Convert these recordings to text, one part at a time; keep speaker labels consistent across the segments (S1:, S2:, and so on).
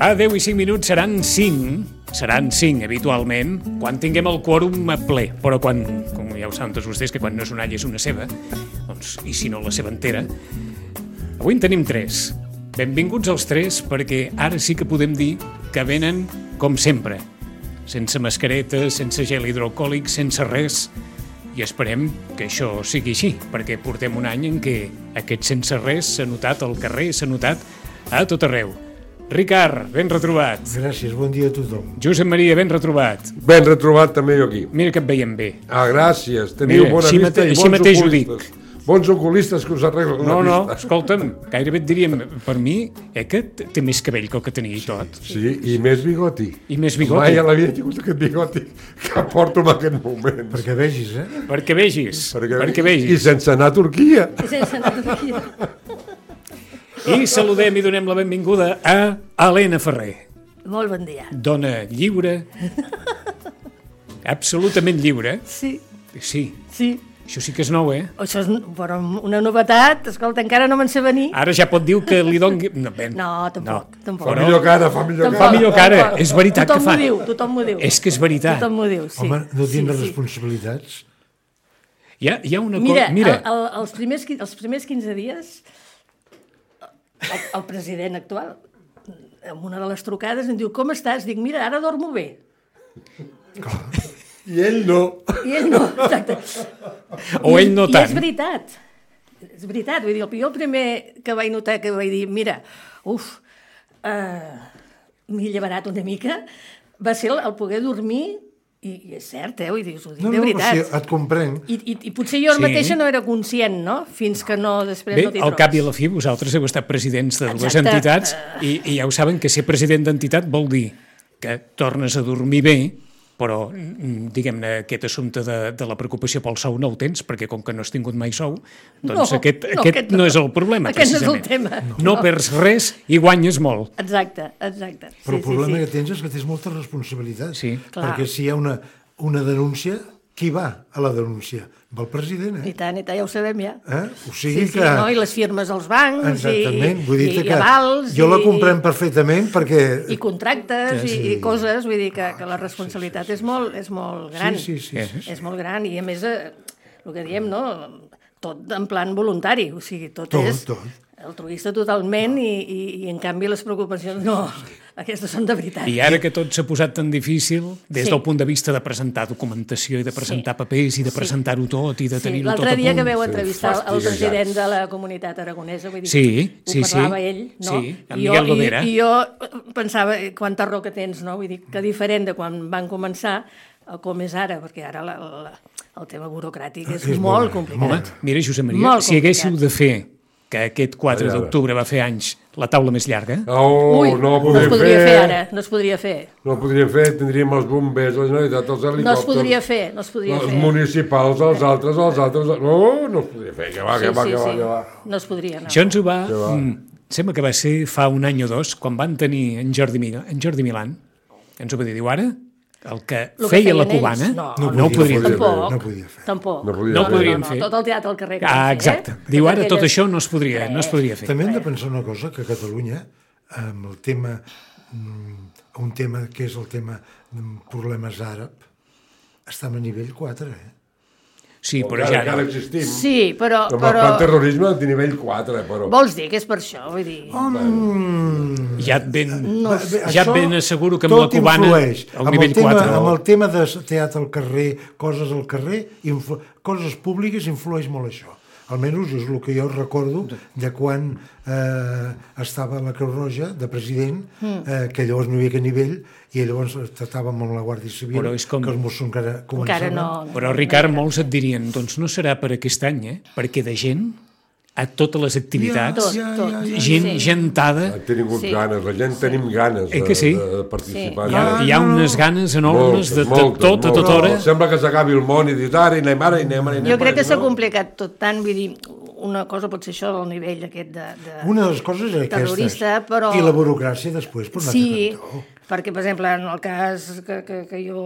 S1: A 10 i 5 minuts seran 5 habitualment, quan tinguem el quòrum a ple. Però quan, com ja ho saben tots vostès, que quan no és una alla és una ceba, doncs, i si no la ceba entera, avui en tenim 3. Benvinguts els 3, perquè ara sí que podem dir que venen com sempre, sense mascareta, sense gel hidroalcohòlic, sense res, i esperem que això sigui així, perquè portem un any en què aquest sense res s'ha notat al carrer, s'ha notat a tot arreu. Ricard, ben retrobat.
S2: Gràcies, bon dia a tothom.
S1: Josep Maria, ben retrobat.
S3: Ben retrobat també jo aquí.
S1: Mira que et veiem bé.
S3: Ah, gràcies. Teniu bona vista i bons oculistes. Bons oculistes que us arreglen la vista.
S1: No, escolta'm, gairebé et diríem, per mi, que té més cabell que el que tenia i tot.
S3: Sí, i més bigoti.
S1: I més bigoti.
S3: Mai a la vida he tingut aquest bigoti que porto en aquest moment.
S2: Perquè vegis,
S1: Perquè vegis.
S3: I sense anar a Turquia.
S1: I saludem i donem la benvinguda a Helena Ferrer.
S4: Molt bon dia.
S1: Dona lliure, absolutament lliure.
S4: Sí.
S1: Sí. Això sí que és nou,
S4: Això és però una novetat, escolta, encara no me'n sé venir.
S1: Ara ja pot dir que li doni...
S4: No, tampoc.
S3: Fa millor cara.
S1: Fa millor cara, és veritat que fa.
S4: Tothom m'ho diu.
S1: És que és veritat.
S4: Tothom m'ho diu, sí.
S2: Home, no tindre responsabilitats.
S1: Hi ha una cosa...
S4: Mira, els primers 15 dies, el president actual, en una de les trucades, em diu, com estàs? Dic, mira, ara dormo bé.
S2: Clar.
S3: I ell no.
S4: Exacte.
S1: O ell no tant.
S4: I és veritat, vull dir, jo el primer que vaig notar, que vaig dir, mira, m'he llevarat una mica, va ser el poder dormir, i és cert, vull dir, us ho dic de veritat.
S2: No, et comprenc.
S4: I potser jo mateixa no era conscient, no? Fins que no, després no t'hi trobes.
S1: Al cap i a la fi, vosaltres heu estat presidents de dues entitats i ja ho saben que ser president d'entitat vol dir que tornes a dormir bé, però, diguem-ne, aquest assumpte de la preocupació pel sou no el tens, perquè com que no has tingut mai sou, doncs aquest no és el problema, precisament.
S4: Aquest no és el tema.
S1: No perds res i guanyes molt.
S4: Exacte.
S2: Però el problema que tens és que tens molta responsabilitat.
S1: Sí.
S2: Perquè si hi ha una denúncia, qui va a la denúncia? Va el president,
S4: I tant, ja ho sabem, ja.
S2: O sigui que...
S4: no? I les firmes als bancs,
S2: exactament. Vull dir
S4: i avals...
S2: Jo la comprem perfectament perquè...
S4: I contractes, i coses, vull dir que la responsabilitat és molt gran.
S2: Sí.
S4: És molt gran, i a més, el que diem, no? Tot en plan voluntari, o sigui, tot és altruista totalment, i en canvi les preocupacions no, aquestes són de veritat.
S1: I ara que tot s'ha posat tan difícil, des del punt de vista de presentar documentació i de presentar papers i de presentar-ho tot i de tenir-ho tot a punt.
S4: L'altre dia que veu entrevistar el president de la Comunitat Aragonesa, vull dir, ho parlava ell, no?
S1: Sí, en Miguel Lovera.
S4: I jo pensava, quanta raó que tens, no? Vull dir, que diferent de quan van començar, com és ara, perquè ara el tema burocràtic és molt complicat.
S1: Mira, Josep Maria, si haguéssiu de fer que aquest 4 d'octubre va fer anys la taula més llarga...
S3: No
S4: es podria fer ara, no es podria fer.
S3: No ho podríem fer, tindríem els bombers, la Generalitat, els helicòpters...
S4: No es podria fer.
S3: Els municipals, els altres... No es podria fer, que va.
S4: No es podria, no.
S1: Això ens ho va... Sembla que va ser fa un any o dos, quan van tenir en Jordi Milán, ens ho va dir, diu ara... El que feia la cubana no ho podria fer.
S4: Tampoc.
S1: No ho podríem fer.
S4: Tot el teatre al carrer.
S1: Exacte. Diu, ara tot això no es podria fer.
S2: També hem de pensar una cosa, que a Catalunya, amb el tema, un tema que és el tema problemes àrab, estem a nivell 4,
S1: Sí, però ja...
S3: Encara existim.
S4: Sí, però...
S3: Com el plan terrorisme de nivell 4, però...
S4: Vols dir que és per això, vull dir...
S1: Ja et ben asseguro que amb la cubana al nivell 4...
S2: Amb el tema de teatre al carrer, coses al carrer, coses públiques, influeix molt això. Almenys és el que jo recordo de quan estava la Creu Roja de president, que llavors no hi havia aquest nivell, i llavors tractàvem amb la Guàrdia Civil, que els Mossos encara començaven.
S1: Però, Ricard, molts et dirien, doncs no serà per aquest any, perquè de gent, a totes les activitats, gent gentada...
S3: Han tingut ganes, la gent tenim ganes de participar.
S1: Hi ha unes ganes enormes de tot, a tota hora.
S3: Sembla que s'acabi el món i dius, ara anem.
S4: Jo crec que s'ha complicat tot tant, vull dir, una cosa pot ser això del nivell aquest de
S2: una de les coses és
S4: terrorista, però...
S2: I la burocràcia després, per anar
S4: cantó. Perquè, per exemple, en el cas que jo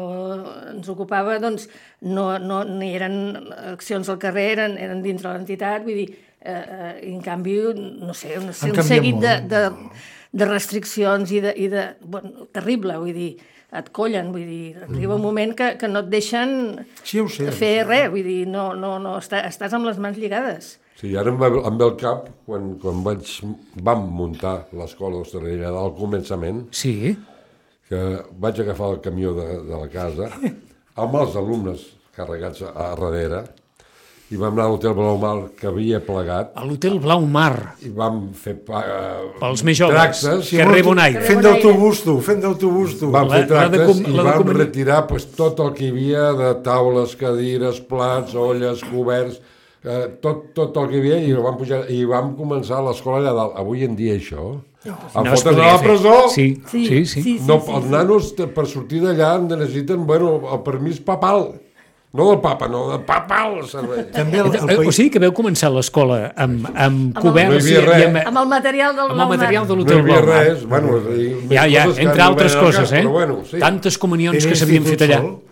S4: ens ocupava, doncs, no hi eren accions al carrer, eren dins de l'entitat, vull dir, i en canvi, no sé, un seguit restriccions bueno, terrible, vull dir, et collen, vull dir, arriba un moment que no et deixen fer res, vull dir, no, estàs amb les mans lligades.
S3: Sí, ara em ve al cap, quan vam muntar l'escola d'hostaleria al començament,
S1: Sí.
S3: que vaig agafar el camió de la casa amb els alumnes carregats a darrere i vam anar a l'Hotel Blaumar, que havia plegat,
S1: A l'Hotel Blaumar,
S3: i vam fer
S1: pels més joves,
S3: tractes,
S1: carrer Bonaire.
S2: Fent d'autobús, tu.
S3: vam fer tractes i vam
S1: comunicar.
S3: retirar tot el que hi havia de taules, cadires, plats, olles, coberts, tot el que hi havia, i vam pujar i vam començar l'escola allà dalt. Avui en dia això,
S1: No es
S3: fotre's a
S1: podria
S3: la
S1: fer.
S3: presó.
S1: Sí.
S3: No, els nanos, per sortir d'allà, necessiten, el permís papal. No del papa, no, del papal servei.
S2: També el
S1: O
S2: país...
S1: sigui que veu començar l'escola amb coberts
S3: No hi havia res.
S4: Amb el material del
S1: amb el material de
S3: No hi
S1: l'Hotel
S3: havia
S1: Blaumar.
S3: res. Bueno,
S1: Ja, entre altres coses,
S3: Però bueno, sí.
S1: Tantes comunions
S2: Era
S1: que s'havien fet
S2: institut
S1: allà.
S2: sol.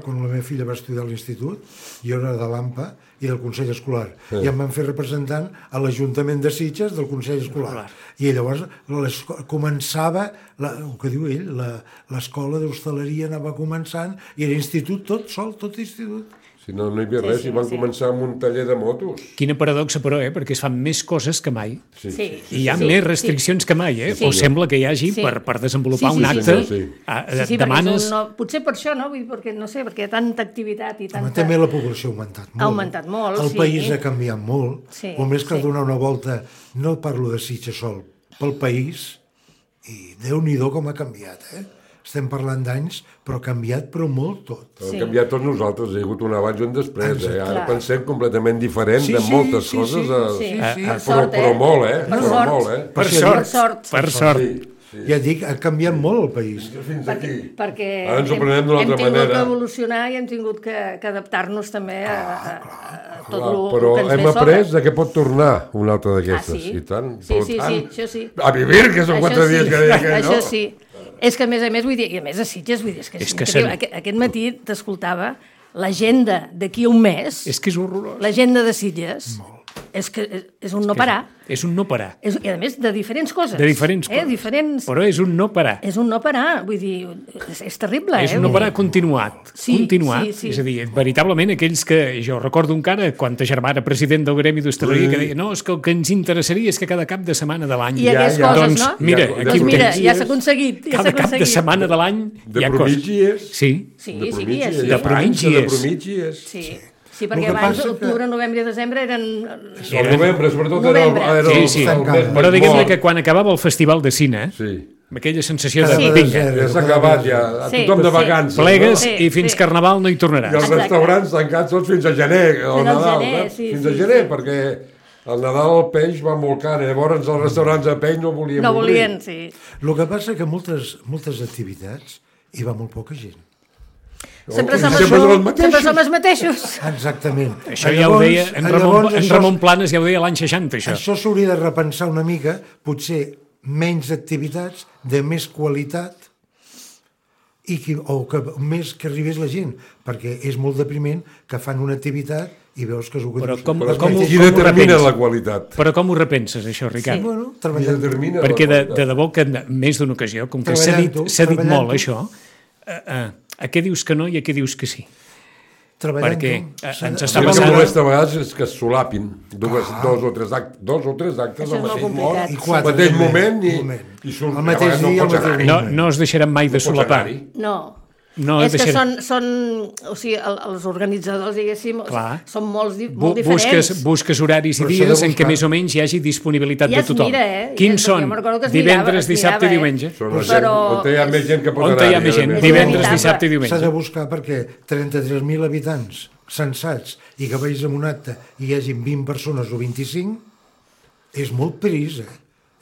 S2: Quan la meva filla va estudiar a l'institut, jo era de l'AMPA i del Consell Escolar, i em van fer representant a l'Ajuntament de Sitges del Consell Escolar. I llavors començava, el que diu ell, l'escola d'hostaleria anava començant, i era institut tot sol, tot institut.
S3: Si no hi havia res, i van començar amb un taller de motos.
S1: Quina paradoxa, però, perquè es fan més coses que mai.
S4: Sí.
S1: I hi ha més restriccions que mai,
S4: Sí.
S1: O sembla que hi hagi, per desenvolupar un acte, demanes...
S4: Potser per això, no? Vull dir, perquè, no sé, perquè hi ha tanta activitat i tanta...
S2: També la població ha augmentat molt.
S4: Ha augmentat molt,
S2: El
S4: sí.
S2: país ha canviat molt.
S4: Sí,
S2: Només cal
S4: sí.
S2: donar una volta, no parlo de Sitges sol, pel país, i Déu-n'hi-do com ha canviat, Estem parlant d'anys, però ha canviat, però molt tot.
S3: Hem canviat tots nosaltres, hi ha hagut un abans i un després. Ara
S4: Clar.
S3: pensem completament diferent de moltes coses. Però molt,
S1: Per sort.
S2: Ja dic, ha canviat molt el país.
S3: Fins aquí.
S4: Perquè
S3: Ara ens ho prenem d'una altra
S4: hem tingut
S3: manera.
S4: d'evolucionar i hem tingut que adaptar-nos també a tot el
S3: Però
S4: que ens
S3: hem
S4: ve
S3: après
S4: sobre.
S3: que pot tornar una altra d'aquestes.
S4: Sí?
S3: I tant.
S4: Sí, això sí.
S3: A vivir, que són 4 dies que deia aquell, no?
S4: Això sí. És que, a més, vull dir, i a més a Sitges, vull dir, és que aquest matí t'escoltava l'agenda d'aquí un mes,
S1: És que és horrorós.
S4: l'agenda de Sitges, és que és un no parar.
S1: És un no parar.
S4: I a més, de diferents coses.
S1: De diferents coses.
S4: Diferents...
S1: Però és un no parar.
S4: És un no parar, vull dir, és terrible,
S1: És un no parar continuat.
S4: Sí,
S1: continuat.
S4: sí.
S1: És a dir, veritablement aquells que... Jo recordo encara quan ta germana president del Gremi d'Hostaleria que deia no, és que el que ens interessaria és que cada cap de setmana de l'any...
S4: I aquestes coses,
S1: doncs,
S4: no?
S1: mira, aquí ho tens.
S4: Ja s'ha aconseguit.
S1: Cada cap de setmana de l'any hi ha coses. Sí.
S3: De promitgies.
S4: Sí, perquè abans, octubre, novembre i desembre eren...
S3: El novembre, sobretot, era el...
S1: Sí. Però diguem-ne que quan acabava el Festival de Cine, amb aquella sensació de... Vinga,
S3: ja s'ha acabat, ja. Tothom de vacances.
S1: Plegues i fins Carnaval no hi tornaràs.
S3: I els restaurants tancats tots fins a gener, o Nadal. Fins a gener, perquè al Nadal el peix va molt car, llavors els restaurants de peix no volien obrir.
S4: No volien, sí.
S2: El que passa que moltes activitats hi va molt poca gent.
S4: Sempre som els mateixos.
S2: Exactament.
S1: Això ja ho deia en Ramon Planes, ja ho deia l'any 60, això.
S2: Això s'hauria de repensar una mica, potser menys activitats, de més qualitat, o que més que arribés la gent, perquè és molt depriment que fan una activitat i veus que és el que...
S1: Però
S3: qui determina la qualitat?
S1: Però com ho repenses, això, Ricard?
S2: Bueno, treballant.
S1: Perquè de debò que en més d'una ocasió, com que s'ha dit molt això, a què dius que no i a què dius que sí? Perquè ens està
S3: passant... El que molesta a vegades és que es solapin dos o tres actes al mateix moment i surt...
S2: El mateix dia, el mateix moment.
S1: No es deixaran mai de solapar.
S4: No, és que són o sigui, els organitzadors, diguéssim, són molt diferents.
S1: Busques horaris i dies en què més o menys hi hagi disponibilitat de tothom. Quins són? Divendres, dissabte i diumenge.
S3: On hi ha més gent que pot anar.
S1: On hi ha més gent, divendres, dissabte i diumenge.
S2: S'ha de buscar perquè 33.000 habitants censats i que vagis en un acte i hi hagin 20 persones o 25, és molt pris,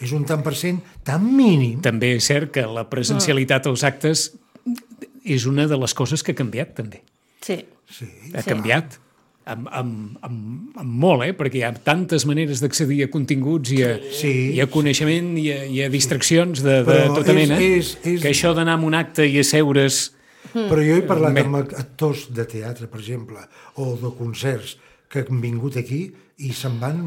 S2: És un tant per cent tan mínim.
S1: També és cert que la presencialitat als actes és una de les coses que ha canviat, també.
S4: Sí.
S1: Ha canviat amb molt, perquè hi ha tantes maneres d'accedir a continguts i a coneixement i a distraccions de tota mena, que això d'anar a un acte i asseure's...
S2: Però jo he parlat amb actors de teatre, per exemple, o de concerts que han vingut aquí i se'n van,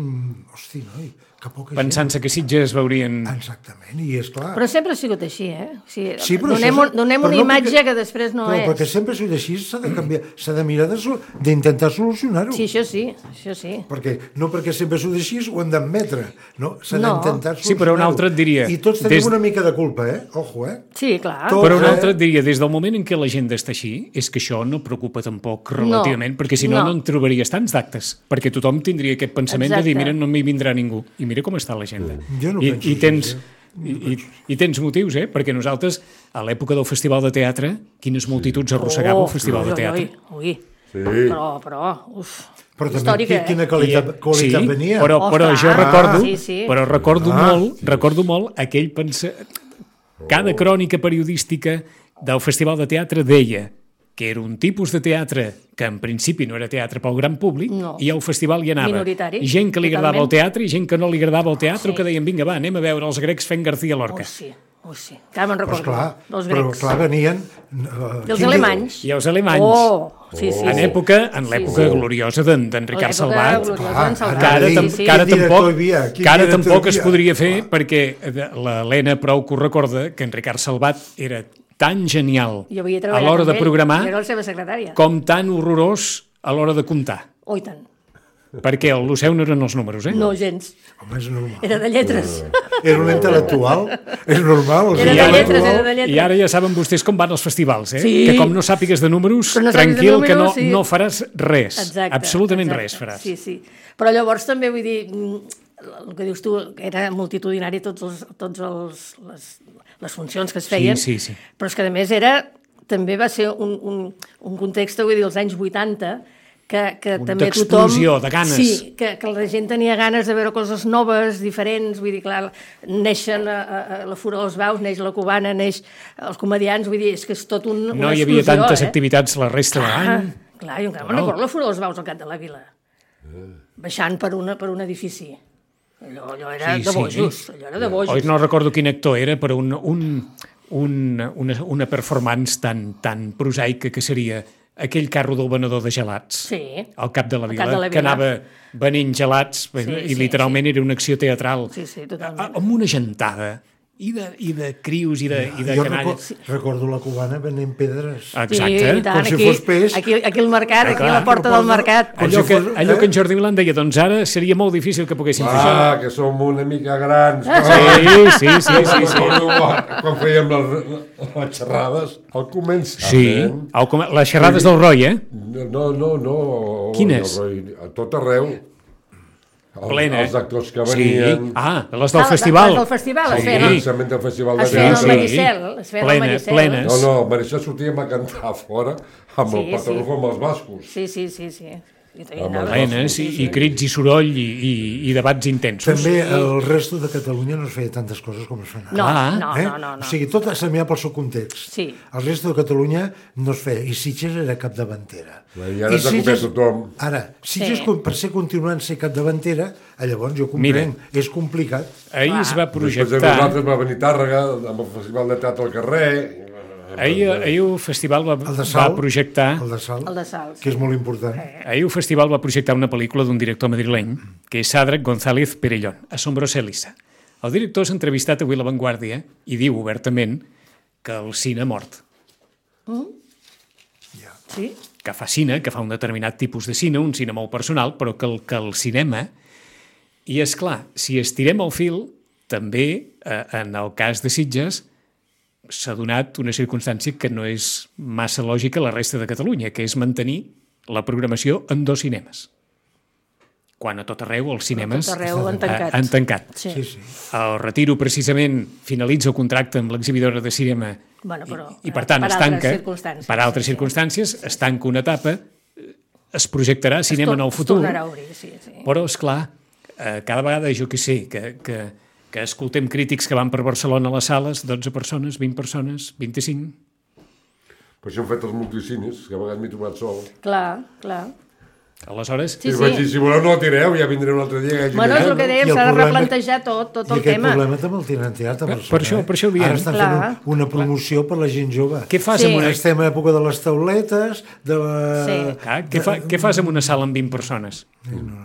S2: hosti, noi, que poca
S1: Pensant-se que Sitges veurien...
S2: Exactament, i és clar.
S4: Però sempre ha sigut així, eh? O sigui,
S2: Sí, però
S4: donem
S2: però
S4: una
S2: no
S4: imatge
S2: perquè-
S4: que després no
S2: però
S4: és.
S2: perquè sempre ha sigut així, s'ha de canviar, s'ha de mirar d'intentar solucionar-ho.
S4: Sí, això sí.
S2: Perquè, no perquè sempre ha sigut així ho hem d'admetre, no? S'ha
S4: No.
S2: d'intentar solucionar-ho.
S1: Sí, però un altre et diria,
S2: I tots tenim
S1: des-
S2: una mica de culpa, Ojo,
S4: Sí, clar.
S2: Tot-
S1: Però un altre et diria, des del moment en què l'agenda està així, és que això no preocupa tampoc relativament, perquè si no, no en trobaries tants d'actes, perquè tothom tindria aquest pensament de dir,
S4: Exacte.
S1: mira, no m'hi vindrà ningú, i mira com està l'agenda.
S2: Jo no penso
S1: I tens...
S2: així,
S1: I tens motius, perquè nosaltres, a l'època del Festival de Teatre, quines multituds arrossegava el Festival de Teatre.
S4: Ui.
S3: Sí.
S4: Però, uf,
S2: Però també
S4: històrica,
S2: quina qualitat
S1: sí,
S2: venia.
S1: però
S4: Ostres,
S1: jo recordo,
S4: sí.
S1: però recordo molt aquell cada crònica periodística del Festival de Teatre deia que era un tipus de teatre que en principi no era teatre pel gran públic,
S4: No.
S1: i al festival hi anava
S4: Minoritari,
S1: gent que li agradava el
S4: totalment.
S1: teatre i gent que no li agradava el teatre,
S4: Sí.
S1: que deien, vinga, va, anem a veure els grecs fent García Lorca.
S4: sí. Encara me'n
S2: Però,
S4: recordo,
S2: esclar,
S4: dels
S2: però
S4: grecs.
S2: clar, venien...
S4: I els alemanys.
S1: I els alemanys.
S4: Sí.
S1: En l'època gloriosa d'en Ricard Salvat, que ara tampoc es podria fer perquè l'Helena prou que ho recorda, que en Ricard Salvat era tan genial
S4: Jo havia
S1: a
S4: treballat
S1: l'hora de
S4: amb ell,
S1: programar
S4: jo era la seva secretària.
S1: com tan horrorós a l'hora de comptar.
S4: Oh, i tant.
S1: Perquè el seu no eren els números,
S4: No, gens.
S2: Home, és normal.
S4: Era de lletres.
S2: Era un intel·lectual. És normal.
S4: Era de lletres, era de lletres.
S1: I ara ja saben vostès com van els festivals,
S4: Sí.
S1: que com no sàpigues de números,
S4: Però no sàpigues de
S1: tranquil, que
S4: números, sí.
S1: no faràs res.
S4: Exacte.
S1: Absolutament
S4: exacte.
S1: res faràs.
S4: Sí. Però llavors també vull dir, el que dius tu, que era multitudinari les funcions que es feien,
S1: Sí.
S4: però és que a més també va ser un context, vull dir, als anys 80, que també tothom...
S1: D'explosió, de ganes.
S4: Sí, que la gent tenia ganes de veure coses noves, diferents, vull dir, clar, neixen a la Fura dels Baus, neix la Cubana, neix els comedians, vull dir, és que és tot una
S1: No hi havia
S4: explosió,
S1: tantes activitats la resta de l'any.
S4: Clar, jo encara me'n recordo la Fura dels Baus al Cap de la Vila, baixant per un edifici. Allò era de bojos, allò era de bojos.
S1: Oi, no recordo quin actor era, però una performance tan prosaica que seria aquell carro del venedor de gelats al Cap de la Vila, que anava venent gelats i literalment era una acció teatral.
S4: Sí, totalment.
S1: Amb una gentada i de crios i de canalles.
S2: Recordo la Cubana venent pedres.
S1: Exacte.
S4: Sí, tant,
S2: com si fos peix.
S4: Aquí al mercat, aquí a la porta del mercat.
S1: Allò que en Jordi Vilan deia, doncs ara seria molt difícil que poguéssim fer això.
S3: Que som una mica grans.
S1: Sí.
S3: Quan fèiem les xerrades, al començament...
S1: Les xerrades del Roy,
S3: No.
S1: Quines?
S3: A tot arreu.
S1: Plena.
S3: Els actors que venien...
S1: Les del festival.
S4: Les del festival, es
S3: El
S4: feien.
S3: començament del festival de
S4: Es feien al
S3: teatre.
S4: Maricel. Es feien al Maricel.
S1: Plenes.
S3: No, el Maricel sortíem a cantar fora amb el patró com els bascos.
S4: Sí.
S1: Plenes i crits i soroll i debats intensos.
S2: També el resto de Catalunya no es feia tantes coses com es fan ara.
S4: No.
S2: O sigui, tot s'ha mirat pel seu context.
S4: Sí.
S2: El resto de Catalunya no es feia. I Sitges era capdavantera.
S3: I ara s'ha copiat tothom.
S2: Ara, Sitges, per ser continuant ser capdavantera, llavors jo comprenc, és complicat.
S1: Ahir es va
S3: Després de
S1: projectar...
S3: nosaltres va venir Tàrrega amb el Festival de Teatre al carrer.
S1: Ahir el festival va projectar...
S2: El de Sal, que és molt important.
S1: Ahir el festival va projectar una pel·lícula d'un director madrileny, que és Sàdrac González Perellón, Asombrosa Elisa. El director s'ha entrevistat avui a La Vanguardia i diu obertament que el cine ha mort.
S4: Sí?
S1: Que fa cine, que fa un determinat tipus de cine, un cine molt personal, però que el cinema... I, és clar, si estirem el fil, també, en el cas de Sitges, s'ha donat una circumstància que no és massa lògica a la resta de Catalunya, que és mantenir la programació en 2 cinemes. Quan a tot arreu els cinemes han tancat.
S4: Sí.
S1: El Retiro, precisament, finalitza el contracte amb l'exhibidora de cinema i per tant, es tanca. Per altres circumstàncies, es tanca una etapa, es projectarà cinema en el futur.
S4: Es tornarà a obrir, sí.
S1: Però, esclar, cada vegada, jo què sé, que escoltem crítics que van per Barcelona a les sales, 12 persones, 20 persones, 25...
S3: Per això hem fet els multicines, que a vegades m'he trobat sol.
S4: Clar.
S1: Aleshores...
S4: Sí.
S3: Vaig dir, si voleu no tireu, ja vindré un altre dia.
S4: Bueno, és el que dèiem, s'ha de replantejar tot el tema.
S2: I aquest problema també el tenen teatre a Barcelona.
S1: Per això ho diem.
S2: Ara estan fent una promoció per la gent jove.
S1: Què fas amb una...
S2: Estem a l'època de les tauletes, de la...
S1: Què fas amb una sala amb 20 persones?
S2: No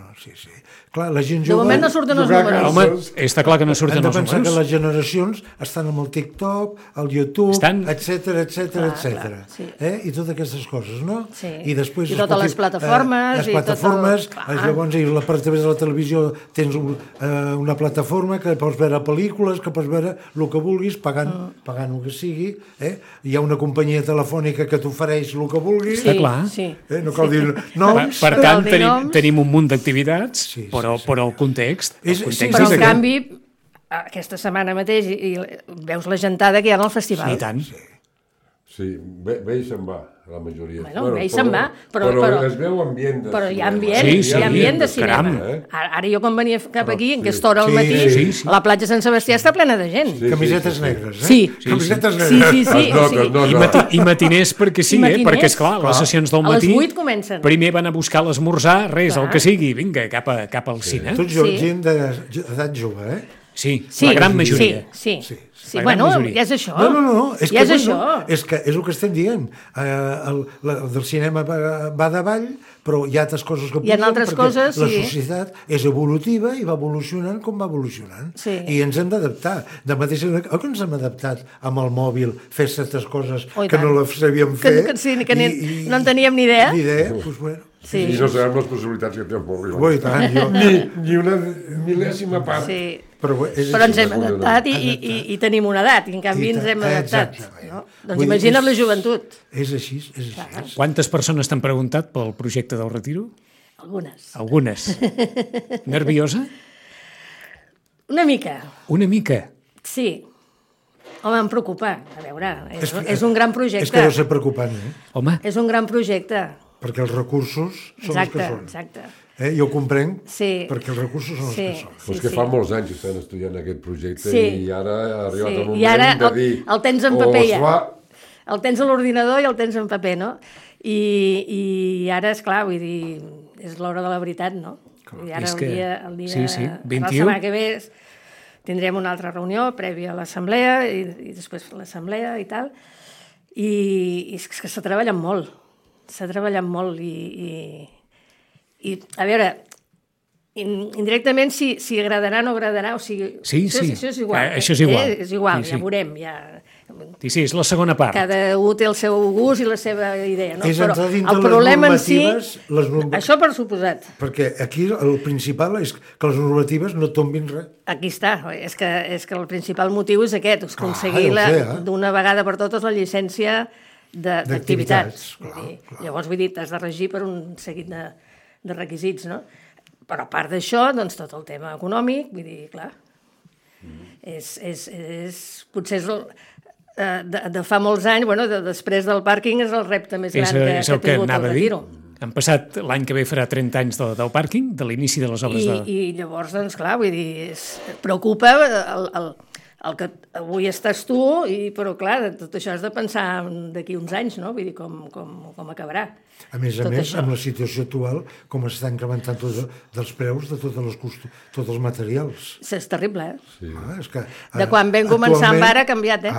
S2: Clar, la gent
S4: De
S2: jove...
S4: moment no surten els números.
S1: Home, està clar que no surten
S2: Hem de
S1: els
S2: pensar que
S1: números.
S2: les generacions estan amb el TikTok, el YouTube, etc.
S4: sí.
S2: I totes aquestes coses, no?
S4: Sí.
S2: I després...
S4: I totes les plataformes.
S2: Les plataformes,
S4: Clar.
S2: llavors a través de la televisió tens una plataforma que pots veure pel·lícules, que pots veure el que vulguis, pagant el que sigui. Hi ha una companyia telefònica que t'ofereix el que vulguis.
S1: Està clar.
S4: Sí.
S2: No cal dir noms.
S1: Per
S4: No
S1: tant,
S4: cal dir noms.
S1: tenim un munt d'activitats,
S2: Sí,
S1: però el context...
S2: És-
S1: El
S2: sí,
S1: context
S4: Però,
S1: és
S4: en
S1: aquest.
S4: canvi, aquesta setmana mateix i veus la gentada que hi ha al festival.
S1: I tant.
S3: Sí, ve i se'n va, la majoria.
S4: Bueno, ve i se'n va, però
S3: es veu ambient.
S4: Però hi ha ambient,
S1: Sí,
S4: hi ha ambient de
S1: caram.
S4: cinema. Ara jo quan venia cap aquí, en aquesta hora al
S2: Sí,
S4: matí,
S1: sí.
S4: la platja Sant Sebastià està plena de gent.
S3: Sí.
S2: Camisetes negres,
S4: Sí.
S2: Camisetes
S4: Sí,
S2: negres.
S4: sí, sí.
S3: Es nota, es nota.
S1: I matiners perquè sí,
S4: I matiners,
S1: perquè esclar, les sessions del
S4: A les
S1: matí
S4: 8 comencen.
S1: primer van a buscar l'esmorzar, res,
S4: Clar.
S1: el que sigui, vinga, cap al cine.
S2: Tots
S4: Sí.
S2: gent d'edat jove,
S1: Sí,
S4: Sí,
S1: la gran majoria.
S4: Sí.
S1: La gran
S4: Bueno,
S1: majoria.
S4: ja és això.
S2: No, és que,
S4: ja és
S2: bueno,
S4: això.
S2: és el que estem dient. Del cinema va davall, però hi ha altres coses que
S4: Hi ha
S2: pugen,
S4: altres
S2: perquè
S4: coses,
S2: la
S4: sí.
S2: societat és evolutiva i va evolucionant com va evolucionant.
S4: Sí.
S2: I ens hem d'adaptar. De mateixa manera que ens hem adaptat amb el mòbil, fer certes coses
S4: Oh, i
S2: que
S4: tant.
S2: no les sabíem
S4: Que-
S2: fer.
S4: que sí, que no en teníem ni idea.
S2: Ni idea, doncs bueno.
S4: Sí.
S3: I no sabem les possibilitats que té el mòbil.
S2: Ui, tant, jo...
S3: Ni una mil·lèsima part.
S4: Sí.
S2: Però,
S4: Però ens hem adaptat i tenim una edat, i en canvi ens hem adaptat.
S2: Exactament.
S4: No? Doncs
S2: Vull dir,
S4: imagina't la joventut.
S2: És així, és així.
S1: Quantes persones t'han preguntat pel projecte del retiro?
S4: Algunes.
S1: Algunes. Nerviosa?
S4: Una mica,
S1: Una mica.
S4: sí. Home, em preocupa. A veure, és un gran projecte.
S2: És que deu ser preocupant,
S1: Home,
S4: És un gran projecte.
S2: perquè els recursos són els que són.
S4: Exacte.
S2: Jo ho comprenc,
S4: Sí.
S2: perquè els recursos són els que són.
S3: Però és que fa molts anys que estan estudiant aquest projecte
S4: Sí.
S3: i ara ha arribat
S4: Sí.
S3: el moment
S4: I ara
S3: de dir...
S4: el tens en
S3: o
S4: paper
S3: es
S4: ja.
S3: fa-
S4: El tens a l'ordinador i el tens en paper, no? I ara, és clar, vull dir, és l'hora de la veritat, no? I ara
S1: és
S4: el
S1: que-
S4: dia
S1: sí,
S4: la
S1: 21.
S4: setmana que ve tindrem una altra reunió prèvia a l'assemblea i després l'assemblea i tal. I és que s'ha treballat molt. S'ha treballat molt i a veure, indirectament si agradarà o no agradarà, o sigui,
S1: Sí,
S4: això,
S1: sí.
S4: això és igual.
S1: Això és igual.
S4: És igual,
S1: Sí,
S4: ja
S1: sí.
S4: veurem, ja...
S1: sí, és la segona part.
S4: Cada un té el seu gust i la seva idea, no?
S2: És
S4: Però
S2: entrar dintre
S4: el
S2: les
S4: problema en si...
S2: normatives,
S4: Això per suposat.
S2: Perquè aquí el principal és que les normatives no tombin res.
S4: Aquí està. És que el principal motiu és aquest, és aconseguir
S2: ja ho sé,
S4: d'una vegada per totes la llicència d'activitats.
S2: Clar.
S4: Llavors, vull dir, t'has de regir per un seguit de requisits, no? Però a part d'això, doncs tot el tema econòmic, vull dir, clar, potser és de fa molts anys, bueno, després del pàrquing és el repte més gran que
S1: És
S4: ha
S1: el que
S4: tingut el
S1: anava a dir.
S4: Retiro.
S1: Han passat, l'any que ve farà 30 anys del pàrquing, de l'inici de les obres de...
S4: I llavors, doncs, clar, vull dir, preocupa el que avui estàs tu, però, clar, de tot això has de pensar d'aquí uns anys, no? Vull dir, com acabarà.
S2: A més,
S4: això.
S2: amb la situació actual, com s'està incrementant dels preus de tots els materials.
S4: És terrible, eh?
S3: Sí.
S2: És que,
S4: De quan vam començar amb ara ha canviat, eh?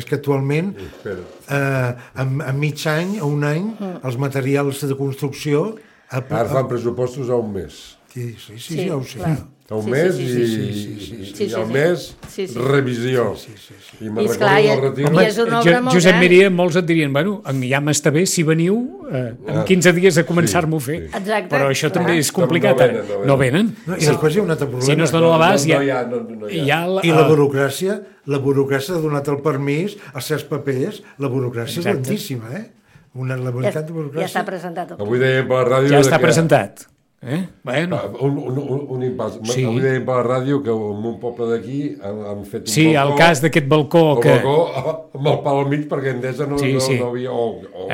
S2: És que actualment, en mig any o un any, els materials de construcció...
S3: Ara fan pressupostos a un mes.
S2: Sí, ja ho sé.
S4: clar.
S3: A un mes i al mes revisió. I me'n
S4: I esclar,
S3: recordo del Retiro.
S4: i és una obra molt
S1: Josep
S4: gran.
S1: Miria, molts et dirien, bueno, ja m'està bé si veniu en 15 dies a començar-m'ho a fer.
S4: Exacte.
S1: Però això també
S4: Clar.
S1: és complicat. No venen.
S2: No, I després hi ha un altre problema.
S1: Si no es dona l'abast,
S3: No
S1: hi
S3: hi
S1: ha...
S3: ha, no hi ha.
S1: hi ha
S2: I la burocràcia ha donat el permís als certs papers, la burocràcia és
S1: Exacte.
S2: lentíssima, La veritat de
S4: Ja
S2: burocràcia...
S4: està presentat el
S3: Avui dèiem per la ràdio...
S1: Ja està
S3: que-
S1: presentat. Bueno,
S3: Un impàs.
S1: Sí.
S3: Avui dèiem per la ràdio que en un poble d'aquí han fet un
S1: sí,
S3: balcó...
S1: el cas d'aquest balcó
S3: El
S1: que...
S3: balcó amb el pal al mig perquè Endesa no,
S1: Sí, sí.
S3: no havia...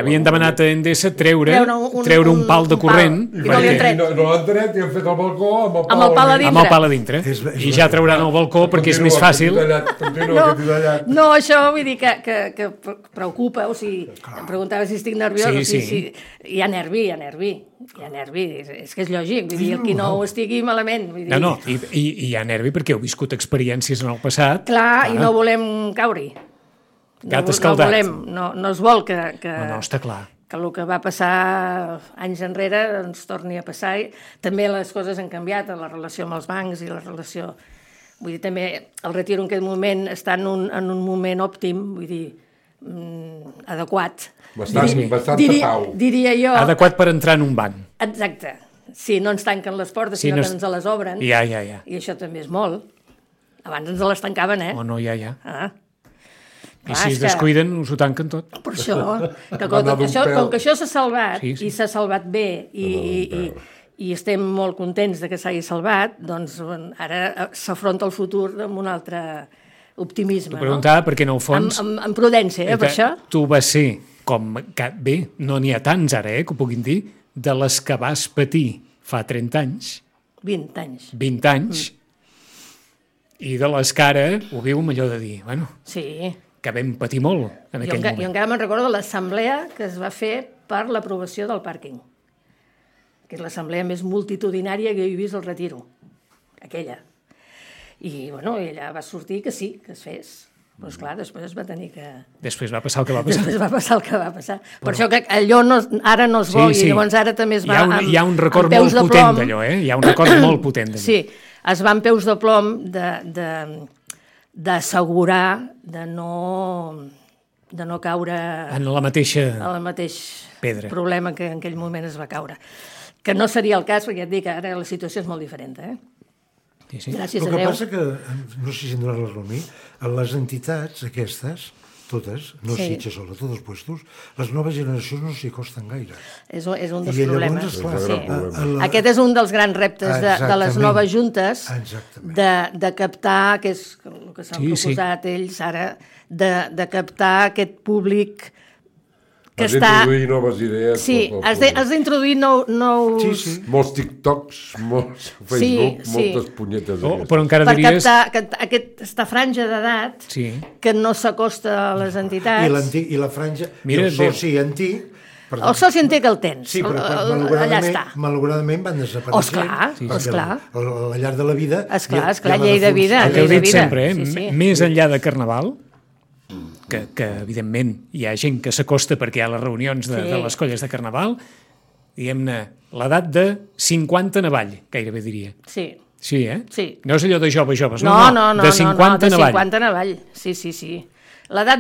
S1: Havien demanat a Endesa treure un pal de
S4: un
S1: corrent
S4: pal. I no li han tret.
S3: No l'han tret i han fet el balcó amb el pal,
S4: Amb el pal a
S3: al mig.
S4: dintre.
S1: amb el pal a dintre. I ja trauran el balcó perquè és més fàcil.
S3: Continua, que t'he tallat.
S4: No, això vull dir que preocupa, o sigui, em preguntava si estic nerviós,
S1: Sí,
S4: o sigui,
S1: sí.
S4: hi ha nervi, és que és lògic, vull dir, el qui no ho estigui malament, vull dir...
S1: No, i hi ha nervi perquè heu viscut experiències en el passat.
S4: Clar, i no volem caure-hi.
S1: Gat escaldat.
S4: No es vol que
S1: No, està clar.
S4: que el que va passar anys enrere doncs torni a passar. També les coses han canviat, la relació amb els bancs i la relació... Vull dir, també el Retiro en aquest moment està en un moment òptim, vull dir, adequat.
S3: Bastant pau.
S4: Diria jo...
S1: Adequat per entrar en un banc.
S4: Exacte. Sí, no ens tanquen les portes, sinó que ens les obren.
S1: Ja.
S4: I això també és molt. Abans ens les tancaven,
S1: Oh, no, ja.
S4: Ah.
S1: I si es descuiden, us ho tanquen tot.
S4: Per això, com que això s'ha salvat, i s'ha salvat bé, i estem molt contents de que s'hagi salvat, doncs ara s'afronta el futur amb un altre optimisme.
S1: T'ho preguntava perquè, en el fons...
S4: Amb prudència, per això.
S1: Tu vas ser, com que bé, no n'hi ha tants ara, que ho puguin dir, de les que vas patir fa 30 anys.
S4: 20 anys.
S1: 20 anys. I de les que ara ho viu millor de dir, bueno,
S4: sí,
S1: que vam patir molt en aquell moment.
S4: Jo encara me'n recordo de l'assemblea que es va fer per l'aprovació del pàrquing, que és l'assemblea més multitudinària que he vist al Retiro, aquella. I, bueno, ella va sortir que sí, que es fes. Però, esclar, després es va tenir que...
S1: Després va passar el que va passar.
S4: Després va passar el que va passar. Per això que allò ara no es vol, i llavors ara també es va
S1: hi ha un record molt potent d'allò, Hi ha un record molt potent d'allò.
S4: Sí, es va amb peus de plom d'assegurar de no caure
S1: en la mateixa
S4: pedra. Problema que en aquell moment es va caure. Que no seria el cas, perquè ja et dic, ara la situació és molt diferent,
S1: Sí.
S4: Gràcies a Déu.
S2: El que passa que, no sé si em donarà la raó a mi, les entitats aquestes, totes, no Sitges sola, tots els puestos, les noves generacions no s'hi costen gaire.
S4: És un dels problemes.
S2: Llavors,
S4: aquest és un dels grans reptes de les noves juntes, de captar, que és el que s'han proposat ells ara, de captar aquest públic que
S3: has d'introduir noves idees.
S4: Sí, has d'introduir nous...
S3: Molts TikToks, molts Facebook, moltes punyetes.
S1: Però encara diries...
S4: Per captar aquesta franja d'edat que no s'acosta a les entitats.
S2: I la franja, i el soci antic...
S4: El soci antic el tens, allà està.
S2: Malauradament van desapareixent.
S4: Esclar.
S2: Al llarg de la vida...
S4: Esclar, llei de vida.
S1: El que heu dit sempre, més enllà de Carnaval, que evidentment hi ha gent que s'acosta perquè hi ha les reunions de les colles de Carnaval, diguem-ne, l'edat de 50 en avall, gairebé diria.
S4: Sí.
S1: Sí,
S4: Sí.
S1: No és allò de joves,
S4: no,
S1: de 50 en avall.
S4: 50 en avall, sí. L'edat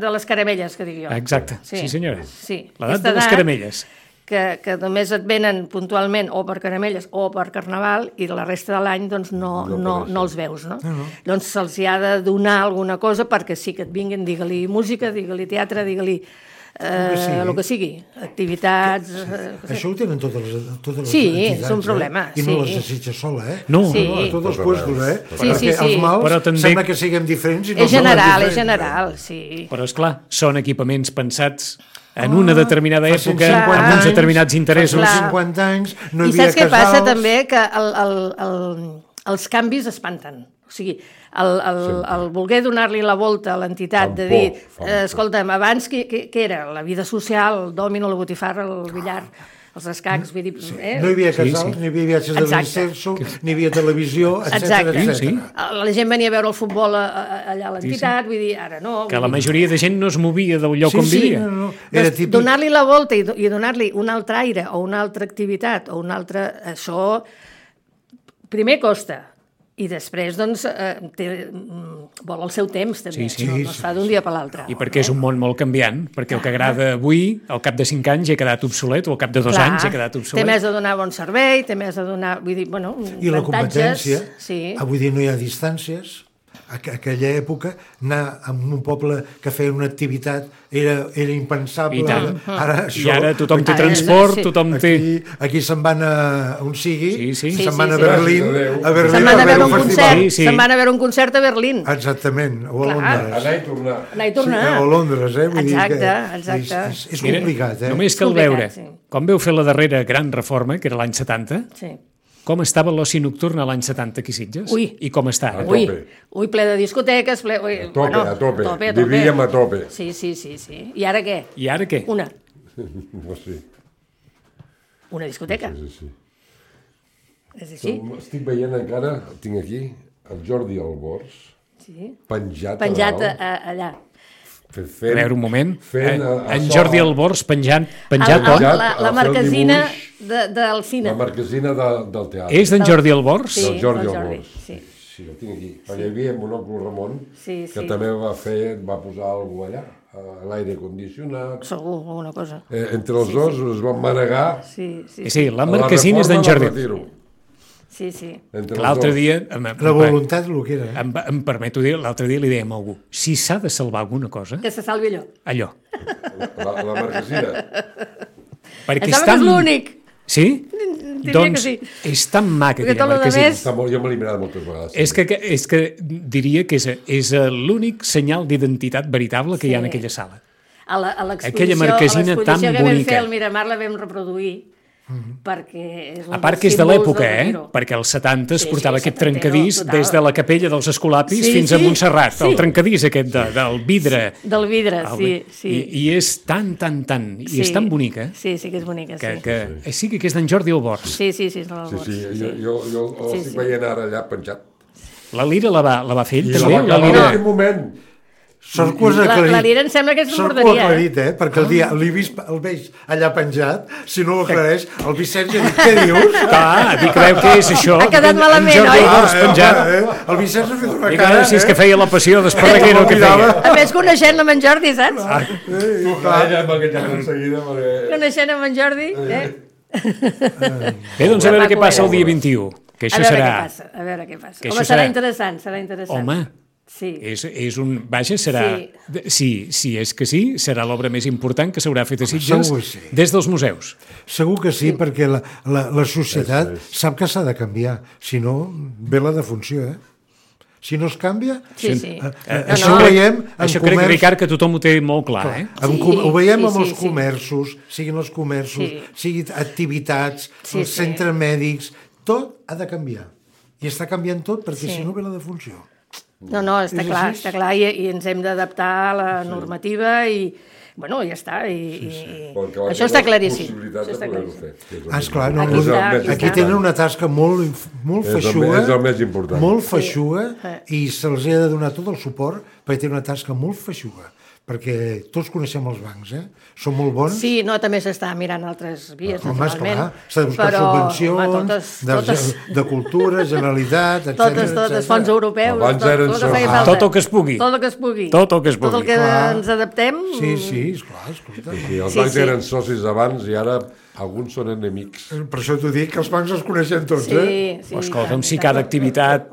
S4: de les caramelles, que dic jo.
S1: Exacte, sí senyora.
S4: Sí.
S1: L'edat de les caramelles.
S4: Que només et venen puntualment o per caramelles o per Carnaval i la resta de l'any doncs no els veus, no? Doncs se'ls ha de donar alguna cosa perquè sí que et vinguin, digue-li música, digue-li teatre, digue-li el que sigui, activitats...
S2: Això ho tenen totes les entitats.
S4: Sí, és un problema.
S2: I no les desitja sola,
S1: No,
S2: a tots els puestos, perquè els mals sembla que siguem diferents i no
S4: és general, sí.
S1: Però, esclar, són equipaments pensats en una determinada època, amb uns determinats interessos.
S2: Fa 50 anys no hi havia casals...
S4: I saps què passa també? Que els canvis espanten. O sigui, el voler donar-li la volta a l'entitat, de dir, escolta'm, abans què era? La vida social, el dòmino, la botifarra, el billar, els escacs, vull dir...
S2: No hi havia casals, ni hi havia viatges de l'incenso, ni hi havia televisió, etc.
S4: La gent venia a veure el futbol allà a l'entitat, vull dir, ara no...
S1: Que la majoria de gent no es movia del lloc on vivia.
S4: Donar-li la volta i donar-li un altre aire o una altra activitat o un altre... Això primer costa. I després, doncs, vol el seu temps, també. No es fa d'un dia per l'altre.
S1: I perquè és un món molt canviant, perquè el que agrada avui, al cap de 5 anys, ja ha quedat obsolet, o al cap de 2 anys ja ha quedat obsolet.
S4: Té més de donar bon servei, té més de donar... Vull dir, bueno,
S2: i la competència. Avui dia no hi ha distàncies. Aquella època, anar a un poble que feia una activitat era impensable.
S1: I ara tothom té transport, tothom té...
S2: Aquí se'n van a on sigui, se'n van a
S3: Berlín,
S4: se'n van a veure un concert, se'n van a veure un concert a Berlín.
S2: Exactament, o a Londres.
S3: Anar i
S4: tornar.
S2: O a Londres,
S4: Exacte.
S2: És complicat,
S1: Només cal veure, quan veu fer la darrera gran reforma, que era l'any 70, com estava l'oci nocturn a l'any 70 aquí a Sitges? I com està ara?
S4: Ui, ple de discoteques, ple...
S3: A tope. Vivíem a tope.
S4: Sí. I ara què? Una. Una discoteca.
S3: Sí.
S4: És així.
S3: Estic veient encara, tinc aquí, el Jordi Albors, penjat
S4: allà.
S1: A veure, un moment. En
S3: açò,
S1: Jordi Albors penjat
S4: La marquesina del cine.
S3: La marquesina del teatre.
S1: És d'en Jordi Albors?
S3: Del Jordi
S4: del
S3: Albors.
S4: Sí.
S3: Sí, el tinc aquí. Hi havia Monòculo Ramon,
S4: Sí,
S3: que
S4: sí.
S3: també va posar alguna allà, a l'aire condicionat.
S4: Segur, alguna cosa.
S3: Entre els dos es van manegar
S4: Sí, sí.
S1: Sí, la
S3: a la
S1: marquesina és d'en
S3: reforma
S1: Jordi.
S3: del retiro.
S4: Sí, sí.
S3: Entre els
S1: L'altre
S3: dos.
S1: dia...
S2: La voluntat, el que era.
S1: Em permeto dir, l'altre dia li dèiem a algú, si s'ha de salvar alguna cosa,
S4: Que se salvi allò.
S1: allò.
S3: La marquesina.
S1: Perquè
S4: Em sembla que és l'únic.
S1: Sí?
S4: Diria
S1: Doncs
S4: que sí.
S1: és tan maca
S4: Perquè
S1: aquella
S4: tot lo
S1: marquesina.
S4: demés-
S3: Jo me l'he mirat moltes vegades.
S1: És que diria que és l'únic senyal d'identitat veritable que hi ha en
S4: Sí.
S1: aquella sala.
S4: A
S1: Aquella marquesina tan
S4: que vam
S1: bonica.
S4: fer al Miramar la vam reproduir perquè és un
S1: A part
S4: dels
S1: que és de
S4: símbols
S1: l'època,
S4: del retiro.
S1: perquè als 70 es
S4: Sí,
S1: portava
S4: sí,
S1: aquest
S4: setantero,
S1: trencadís
S4: total.
S1: des de la capella dels Escolapis
S4: Sí,
S1: fins a
S4: sí,
S1: Montserrat,
S4: sí.
S1: el trencadís aquest del vidre.
S4: Del vidre, sí, sí.
S1: I és tan, i és
S4: Sí.
S1: tan bonica
S4: Sí, sí que és bonica, sí.
S1: que sí que és d'en Jordi Albors.
S4: Sí, sí, sí.
S3: Sí, jo
S4: Sí,
S3: estic
S4: sí.
S3: veient ara allà penjat.
S1: La Lira la va fer ell
S3: I
S1: també?
S3: la va
S1: La
S3: acabar en
S1: Lira...
S3: aquell moment.
S2: Sort que ho has
S4: La
S2: aclarit.
S4: Lira em sembla que és
S2: Sort que ho
S4: morderia,
S2: ha aclarit, perquè el dia el veig allà penjat, si no ho aclareix, el Vicenç ha dit, què dius?
S1: Clar, dic, veu què és això?
S4: Ha quedat malament,
S1: En Jordi
S4: oi?
S1: Albors penjat.
S2: El Vicenç ha fet una
S1: Dic,
S2: cara,
S1: si és que feia la passió d'Esparreguero que feia.
S4: A més, coneixent amb en Jordi, saps?
S3: Ella m'ha enganxat de seguida perquè...
S4: Coneixent amb en Jordi,
S1: Bé, doncs a veure què
S4: Maco
S1: passa el
S4: era.
S1: dia 21, que
S4: A
S1: això
S4: veure
S1: serà...
S4: què passa, a veure què passa.
S1: Que
S4: Home,
S1: això
S4: serà
S1: serà-
S4: interessant, serà interessant.
S1: Home,
S4: Sí.
S1: és un... Vaja, serà... Si és que sí, serà l'obra més important que s'haurà fet a Sitges
S2: segur que sí.
S1: des dels museus.
S2: Segur que sí, perquè la societat sap que s'ha de canviar. Si no, ve la defunció, eh? Si no es canvia...
S4: Sí, sí.
S2: Això ho veiem en
S1: Això crec,
S2: comerç...
S1: Ricard, que tothom ho té molt clar, eh?
S2: Ho
S4: Sí,
S2: veiem
S4: sí,
S2: amb els
S4: sí, sí.
S2: comerços, siguin els comerços,
S4: Sí.
S2: siguin activitats,
S4: Sí,
S2: els
S4: sí.
S2: centres mèdics, tot ha de canviar. I està canviant tot perquè
S4: Sí.
S2: si no ve la defunció.
S4: No, està
S2: És
S4: clar,
S2: així?
S4: està clar, i ens hem d'adaptar a la normativa i, bueno, ja està, i
S3: Perquè
S4: això està claríssim.
S3: Possibilitat
S4: Això
S3: de
S4: està
S3: poder-ho
S4: claríssim.
S3: fer.
S2: Esclar, no,
S4: Aquí està,
S2: aquí
S4: està.
S2: tenen una tasca molt
S3: És
S2: feixuga,
S3: el més important.
S2: molt feixuga, i se'ls ha de donar tot el suport perquè tenen una tasca molt feixuga, perquè tots coneixem els bancs, són molt bons.
S4: Sí, no, també s'està mirant altres vies,
S2: Home,
S4: naturalment.
S2: esclar, s'ha de buscar
S4: però,
S2: subvencions,
S4: home, totes,
S2: de cultura, Generalitat, etc.
S4: totes, fons europeus,
S3: Abans
S4: tot
S3: eren
S4: el que feia
S3: sols.
S4: falta.
S1: Tot el que es pugui.
S4: Tot el que es pugui.
S1: Tot el que es
S4: Tot el
S1: pugui.
S4: que
S2: Clar.
S4: ens adaptem.
S2: Sí, esclar, escolta.
S3: Sí, els
S4: Sí,
S3: bancs
S4: sí.
S3: eren socis abans i ara alguns són enemics.
S2: Per això t'ho dic, que els bancs els coneixem tots,
S4: Sí, sí.
S1: Escolta'm, si cada activitat...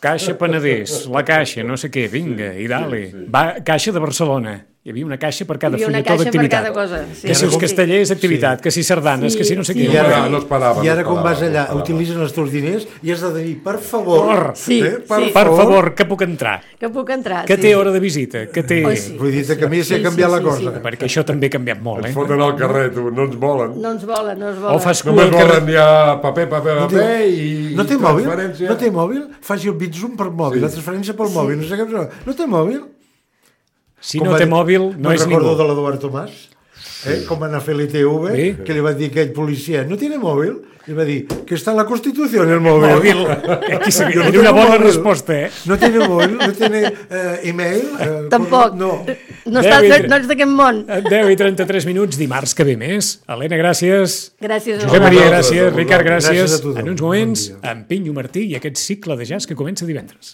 S1: Caixa Penedès, la Caixa, no sé què, vinga, i dale. Va, Caixa de Barcelona. Hi havia una caixa per cada
S4: Hi havia una
S1: fulletó
S4: caixa per
S1: d'activitat.
S4: cada cosa, sí.
S1: Que si els
S4: Sí.
S1: castellers, activitat, que si sardanes,
S4: Sí,
S1: que si no sé
S4: sí.
S1: què.
S2: I ara,
S3: No es parava,
S2: I ara
S3: no es
S2: quan vas
S3: parava,
S2: allà,
S3: no es parava.
S2: utilitzen els teus diners i has de dir, per favor,
S4: Sí, sí.
S1: Per favor, que puc entrar.
S4: Que puc entrar.
S1: Que
S4: sí.
S1: té hora de visita, que té...
S4: Oi, sí.
S2: vull dir que a mi s'ha canviat la cosa.
S1: Perquè això també ha canviat molt,
S3: Ens
S1: eh?
S3: foten al carrer, tu, no ens volen.
S4: No ens volen, no ens volen.
S1: O fas cua
S3: Només
S1: al carrer...
S3: volen ja paper i
S2: No té mòbil?
S3: transferència.
S2: No té mòbil? Faci el Bitzum per mòbil, la transferència pel mòbil, no sé què. No té mòbil?
S1: Si no té mòbil, no és
S2: recordo
S1: ningú.
S2: de l'Eduard Tomàs, com va anar a fer l'ITV,
S1: Sí.
S2: que li va dir aquell policia, no tiene mòbil? I va dir, que està en la Constitució en el mòbil.
S1: Mòbil. Aquí
S2: Jo
S1: seria
S2: no
S1: una
S2: tengo
S1: bona
S2: mòbil.
S1: resposta, eh?
S2: No tiene mòbil, no tiene email.
S4: Tampoc.
S2: No.
S4: No,
S1: David.
S4: no ets d'aquest món.
S1: 10 i 33 minuts, dimarts que ve més. Helena, gràcies.
S4: Gràcies a
S1: Josep
S4: vosaltres.
S1: Maria,
S3: vosaltres,
S1: gràcies.
S3: a
S1: Ricard,
S2: vosaltres.
S1: gràcies.
S2: Gràcies a tothom.
S1: En uns moments,
S2: Bon dia.
S1: en Pinyo Martí i aquest cicle de jazz que comença divendres.